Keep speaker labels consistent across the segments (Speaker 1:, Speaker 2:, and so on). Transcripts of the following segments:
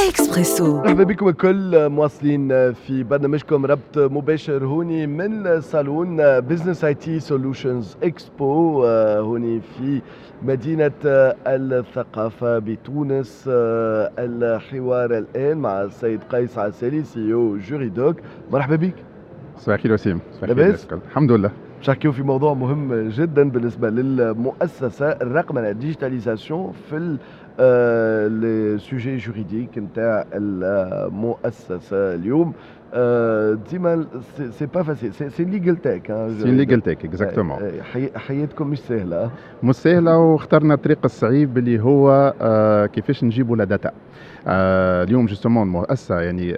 Speaker 1: اكسبريسو.
Speaker 2: مرحبا بكم الكل، مواصلين في برنامجكم ربط مباشر هوني من صالون Business IT Solutions Expo هوني في مدينة الثقافة بتونس. الحوار الآن مع السيد قيس عسالي، CEO Juridoc. مرحبا بك.
Speaker 3: صباح الخير وسيم. صباح
Speaker 2: لاباس؟
Speaker 3: الخير. الحمد لله.
Speaker 2: باش نحكيو في موضوع مهم جدا بالنسبة للمؤسسة، الرقمنة، digitalisation في les sujets juridiques نتاع المؤسسة. اليوم ديما c'est pas facile، c'est legal tech.
Speaker 3: c'est legal tech، exactement.
Speaker 2: حياتكم مش سهلة.
Speaker 3: مش سهلة، واخترنا الطريق الصعيب اللي هو كيفاش نجيبوا la data. اليوم justement المؤسسة يعني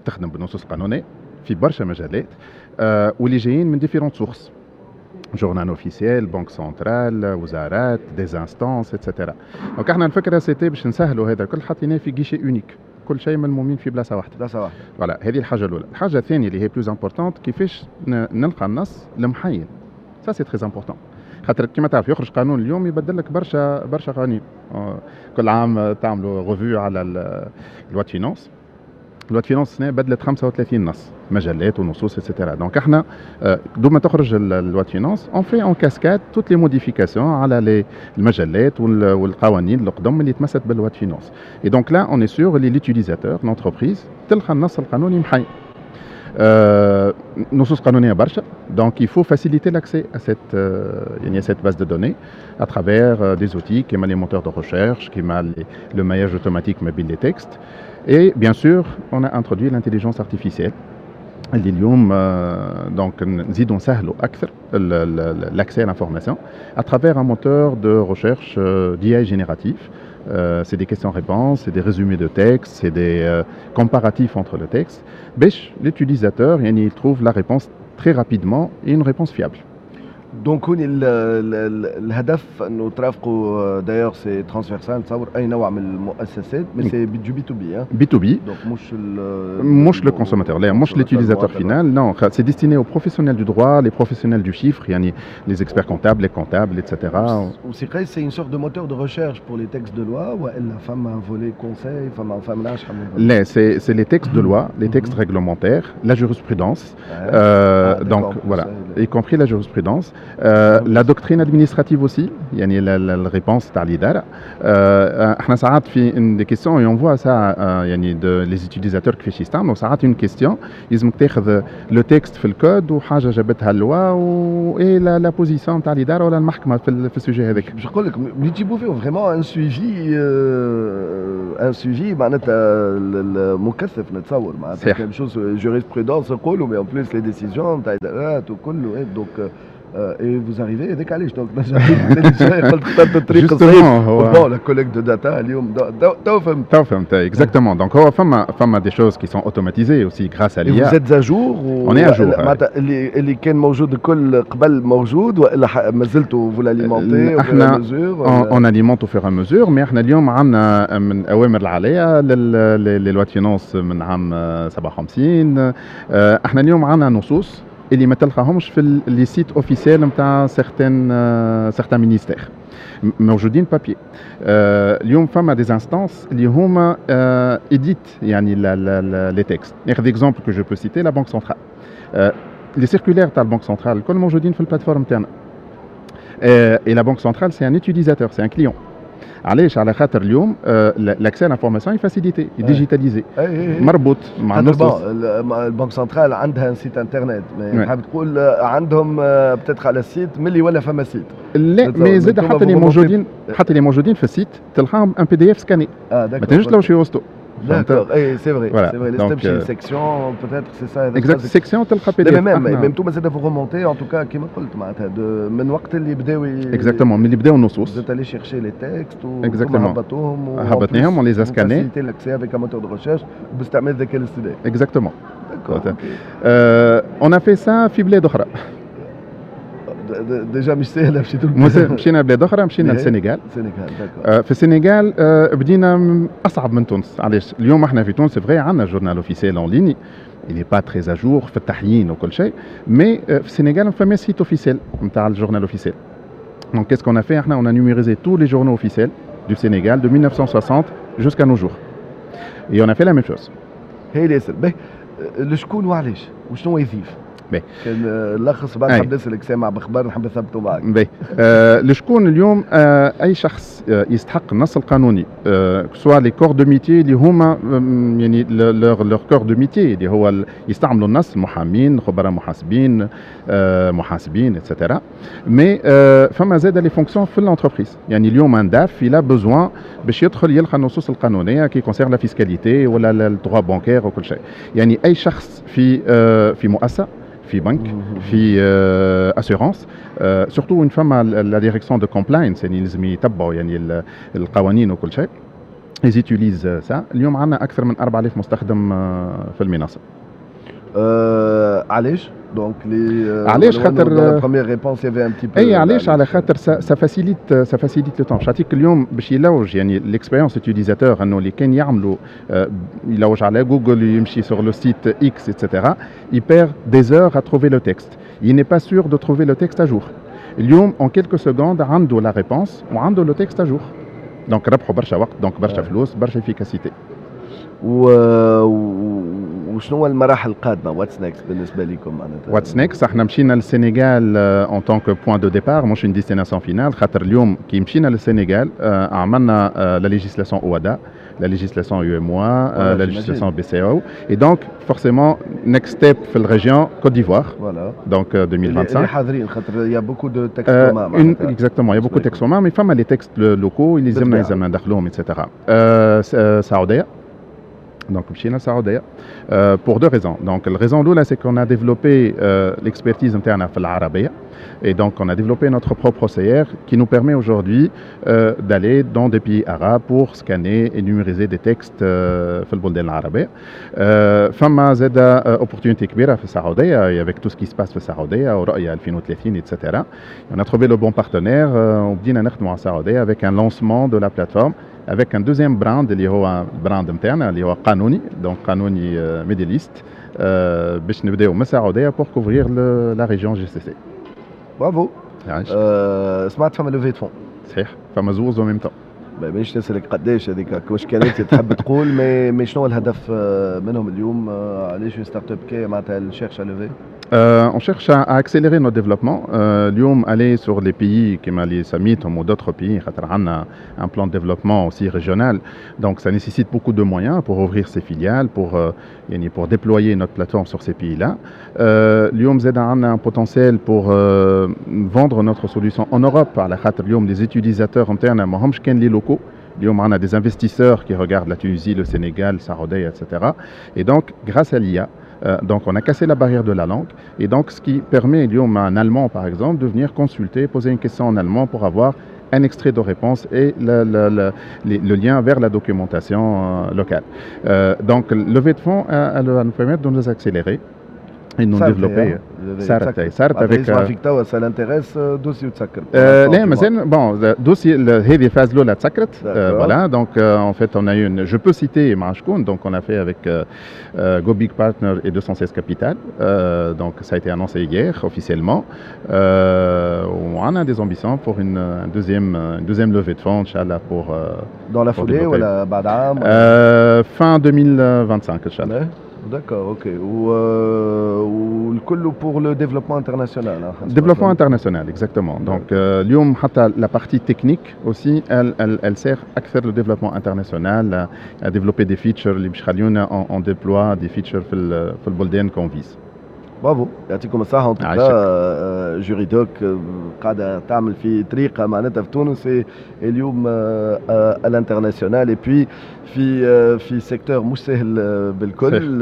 Speaker 3: تخدم بالنصوص القانونية في برشا مجالات واللي جايين من différentes sources، journal officiel، banque centrale، وزارات، des instances، et cetera. donc احنا الفكرة c'était باش نسهلوا هذا الكل، حطيناه في guichet unique، كل شيء ملمومين في بلاصة واحده.
Speaker 2: بلاصة واحده.
Speaker 3: voilà، هذه الحاجة الاولى. الحاجة الثانية اللي هي plus importante، كيفاش نلقى النص المحين. ça c'est très important، خاطر كما تعرف يخرج قانون اليوم يبدل لك برشا برشا قوانين. كل عام تعملوا revue على loi de finances. loi de finance السنة بدلت 35 نص، مجلات ونصوص et cetera. donc احنا دوب ما تخرج loi de finances، on fait en cascade toutes les modifications على les المجلات والقوانين القدم اللي تمست بال loi de finances. et donc là on est sûr اللي l'utilisateur، l'entreprise، تلقى النص القانوني محين. نصوص قانونية برشا، donc il faut faciliter l'accès à cette يعني à cette base de données à travers des outils كيما les moteurs de recherche، كيما le maillage automatique ما بين les textes، et bien sûr on a introduit l'intelligence artificielle اللي اليوم donc نزيدوا نسهلوا اكثر l'accès à l'information à travers un moteur de recherche d'IA génératif. C'est des questions-réponses, c'est des résumés de textes, c'est des comparatifs entre le texte. باش l'utilisateur يعني il trouve la réponse très rapidement et une réponse fiable.
Speaker 2: donc هوني الهدف انه ترافقوا، d'ailleurs c'est transversal، نتصور اي نوع من المؤسسات، mais c'est du B2B؟
Speaker 3: B2B.
Speaker 2: donc مش
Speaker 3: مش le consommateur، لا، مش l'utilisateur final، non، c'est destiné aux professionnels du droit، les professionnels du chiffre، يعني les experts comptables، les comptables، etc.
Speaker 2: وسي قيس، c'est une sorte de moteur de recherche pour les textes de loi والا فما volet conseil، فما نعرفش؟
Speaker 3: لا، c'est les textes de loi، les textes réglementaires، la jurisprudence، donc voilà، y compris la jurisprudence، la doctrine administrative aussi، يعني la réponse تاع الإدارة. احنا ساعات في une des questions، et on voit ça يعني de les utilisateurs كيفاش يستعملوا، ساعات une question لازمك تاخذ le texte في الكود وحاجة جابتها ال loi و et la position تاع الإدارة ولا المحكمة في ال sujet هذاك.
Speaker 2: باش نقول لك ملي تجيبوا فيه vraiment un suivi معناتها مكثف نتصور معناتها.
Speaker 3: صحيح.
Speaker 2: كان chose jurisprudence نقولوا، mais en plus les décisions تاع ادارات وكله، donc et vous arrivez، هذاك علاش donc قلت اخترت الطريق الصحيح.
Speaker 3: هو
Speaker 2: bon، la collecte de data اليوم تو فهمت.
Speaker 3: تو فهمت، exactement. donc هو فما des choses qui sont automatisées aussi grâce à
Speaker 2: l'IA.
Speaker 3: vous
Speaker 2: êtes à jour؟
Speaker 3: On est à jour.
Speaker 2: معناتها اللي كان موجود الكل قبل موجود والا مازلتوا vous l'alimentez؟
Speaker 3: احنا on alimente au fur et à mesure، mais احنا اليوم عندنا من اوامر العالية les lois de finances من عام 57. احنا اليوم عندنا نصوص اللي ما تلقاهمش في les sites officiels نتاع certains ministères، موجودين papier. اليوم فما des instances اللي هما éditent يعني les textes. ناخذ exemple que je peux citer، la banque centrale، les circulaires تاع ال banque centrale الكل موجودين في ال plateforme تاعنا. et la banque centrale c'est un utilisateur، c'est un client. علاش؟ على خاطر اليوم l'accès à l'information est facilité، digitalisé، مربوط مع
Speaker 2: النصوص. ال banque centrale عندها un site internet، حاب تقول عندهم peut-être على ال site ملي ولا فما site؟
Speaker 3: لا، mais زاد حتى اللي موجودين في ال site تلقاهم un PDF scanné، ما تنجمش تلوج في وسطو.
Speaker 2: D'accord, et c'est vrai, c'est vrai. Les تمشي section, peut-être c'est ça.
Speaker 3: Exact, section تلقى PDF.
Speaker 2: mais même même انتم زاد vous remontez en tout cas كيما قلت معناتها من وقت اللي بداو.
Speaker 3: Exactement، من اللي بداو النصوص.
Speaker 2: Vous êtes allé chercher les textes.
Speaker 3: Exactement.
Speaker 2: هبطوهم.
Speaker 3: هبطناهم، on les a scannés.
Speaker 2: facilité l'accès avec un moteur de recherche باستعمال الذكاء الاصطناعي.
Speaker 3: Exactement. On a fait ça في بلاد اخرى.
Speaker 2: déjà مش سهله، مشيتوا؟
Speaker 3: مشينا بلاد اخرى، مشينا للسنغال.
Speaker 2: السنغال، d'accord.
Speaker 3: في السنغال بدينا اصعب من تونس. علاش؟ اليوم احنا في تونس vrai عندنا journal officiel en ligne، il n'est pas très à jour في التحيين وكل شيء، mais في السنغال ما فماش site officiel نتاع ال journal officiel. Donc qu'est-ce qu'on a fait احنا؟ On a numérisé tous les journaux officiels du Sénégal de 1960. jusqu'à nos jours. Et on a fait la même chose.
Speaker 2: هايل ياسر. باهي، لشكون وعلاش وشنو يضيف؟
Speaker 3: باهي.
Speaker 2: كان لخص، بعد نحب نسالك، سامع بخبر نحب نثبته معك.
Speaker 3: باهي، لشكون اليوم؟ اي شخص يستحق النص القانوني، soit les corps de métier اللي هما يعني leur corps de métier اللي هو يستعملوا النص، المحامين، خبراء محاسبين، محاسبين et cetera، mais فما زاد les fonctions في l'entreprise. يعني اليوم un DAF il a besoin باش يدخل يلقى النصوص القانونيه qui concernent la fiscalité ولا ال droit bancaire وكل شيء. يعني اي شخص في مؤسسه، في بنك، في assurance، surtout وين فما la direction de compliance، يعني لازم يتبعوا يعني القوانين وكل شيء، ils utilisent ça. اليوم عندنا اكثر من 4000 مستخدم في المنصه.
Speaker 2: علاش؟ donc les
Speaker 3: علاش؟ خاطر
Speaker 2: première réponse y avait un petit peu
Speaker 3: اي، علاش؟ على خاطر ça facilite le temps. نعطيك اليوم باش يلوج، يعني l'expérience utilisateur انه اللي كان يعملوا يلوج على جوجل، يمشي sur le site X et cetera، il perd des heures à trouver le texte، il n'est pas sûr de trouver le texte à jour. اليوم en quelques secondes عنده la réponse وعنده le texte à jour، donc ربحوا برشا وقت، donc برشا فلوس، برشا efficacité.
Speaker 2: وشنو هو المراحل القادمه؟ what's next بالنسبه لكم معناتها؟
Speaker 3: what's next، احنا مشينا للسنغال en tant que point de départ، مش une destination finale، خاطر اليوم كي مشينا للسنغال عملنا la législation OHADA، la législation UEMOA, la législation BCEAO. Et donc, forcément, next step في ال région Côte d'Ivoire.
Speaker 2: Voilà.
Speaker 3: Donc, 2025.
Speaker 2: اللي حاضرين خاطر il y a beaucoup de textes communs.
Speaker 3: Exactement, il y a beaucoup de textes communs, mais فما les textes locaux اللي لازمنا ندخلوهم etc. السعودية. Donc, مشينا السعودية pour deux raisons. Donc, la raison الأولى c'est qu'on a développé l'expertise نتاعنا في العربية et donc on a développé notre propre OCR qui nous permet aujourd'hui d'aller dans des pays arabes pour scanner et numériser des textes في البلدان العربية. فما زاد opportunité كبيرة في السعودية avec tout ce qui se passe في السعودية ورؤية 2030 etc. On a trouvé le bon partenaire وبدينا نخدموا على السعودية avec un lancement de la plateforme avec un deuxième brand اللي هو ال brand نتاعنا اللي هو قانوني، donc قانوني Middle East، باش نبداو من السعوديه pour couvrir la région GCC.
Speaker 2: برافو. سمعت فما levée de fonds.
Speaker 3: صحيح، فما زوز en même temps.
Speaker 2: مانيش نسالك قداش، هذيك واش كانت تحب تقول، mais شنو الهدف منهم اليوم؟ علاش startup كي معناتها cherche à lever؟
Speaker 3: On cherche à accélérer notre développement. اليوم aller sur les pays كيما اللي سميتهم ou d'autres pays، خاطر عندنا un plan de développement aussi régional. Donc ça nécessite beaucoup de moyens pour ouvrir ces filiales, يعني pour déployer notre plateforme sur ces pays-là. اليوم زاد عندنا un potentiel pour vendre notre solution en Europe، على خاطر اليوم les utilisateurs نتاعنا ماهمش كان les locaux. اليوم عندنا des investisseurs qui regardent la Tunisie, le Sénégal, السعودية, etc. Et donc, grâce à l'IA, donc on a cassé la barrière de la langue et donc ce qui permet اليوم à un Allemand par exemple de venir consulter, poser une question en allemand pour avoir un extrait de réponse et le lien vers la documentation locale. Donc levée de fonds, elle va nous permettre de nous accélérer et de nous développer.
Speaker 2: صارت
Speaker 3: صارت
Speaker 2: avec فيك توا ça l'intéresse، dossier وتسكر.
Speaker 3: لا مازال، bon، dossier هذه phase الاولى تسكرت، voilà. donc en fait on a eu une, je peux citer مع شكون، donc on a fait avec Go Big Partner et 216 Capital، donc ça a été annoncé hier officiellement. On a des ambitions pour une deuxième levée de fonds إن شاء الله pour
Speaker 2: dans la foulée ولا بعد عام؟
Speaker 3: fin 2025 إن شاء الله.
Speaker 2: D'accord, ok. والكل pour le développement international. Hein,
Speaker 3: développement international, exactement. Donc, اليوم حتى la partie technique aussi, elle sert أكثر le développement international, à développer des features اللي باش يخليونا on déploie des features في البلدان qu'on vise.
Speaker 2: برافو، يعطيكم الصحة. en tout cas Juridoc قاعدة تعمل في طريقة معناتها في تونس اليوم à l'international et puis في secteur مش سهل بالكل،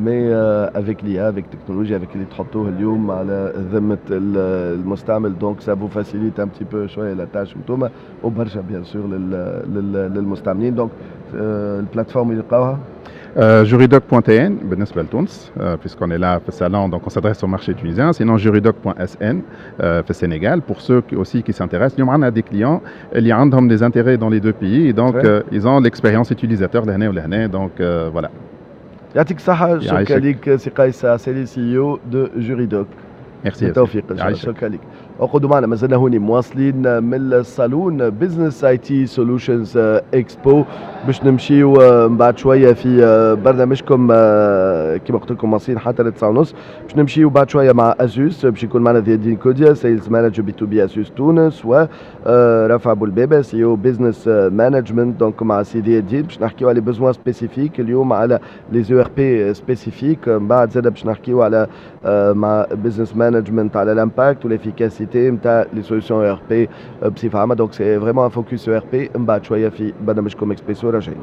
Speaker 2: mais avec l'IA، avec technologie، avec اللي تحطوه اليوم على ذمة المستعمل، donc ça vous facilite un petit peu شوية la tâche انتوما وبرشا bien sûr للمستعملين. donc ال plateforme اللي يلقاوها؟
Speaker 3: Juridoc.tn بالنسبة لتونس، puisqu'on est là في الsalon، donc on s'adresse au marché tunisien، sinon juridoc.sn في السنغال pour ceux aussi qui s'intéressent. اليوم عندنا des clients اللي عندهم des intérêts dans les deux pays، donc ils ont l'expérience utilisateur لهنا ولهنا، donc voilà.
Speaker 2: يعطيك الصحة، شكرا لك سي قيس عسالي، CEO de Juridoc.
Speaker 3: Merci.
Speaker 2: بالتوفيق ان شاء الله، شكرا لك. اقعدوا معنا، مازلنا هوني مواصلين من الصالون Business IT Solutions Expo. باش نمشيو من بعد شوية في برنامجكم، كما قلت لكم مواصلين حتى ل 9:30. باش نمشيو بعد شوية مع Asus، باش يكون معنا ضياء الدين كوديا، sales manager B2B Asus تونس، و رافع بولبابه، CEO Business Management. donc مع سي ضياء الدين باش نحكيو على besoins spécifiques اليوم، على les ERP spécifiques. من بعد زاد باش نحكيو على مع Business Management على l'impact و l'efficacité نتاع les solutions ERP بصفة عامه. donc c'est vraiment un focus ERP من بعد شوية في برنامجكم اكسبريسو. راجعين.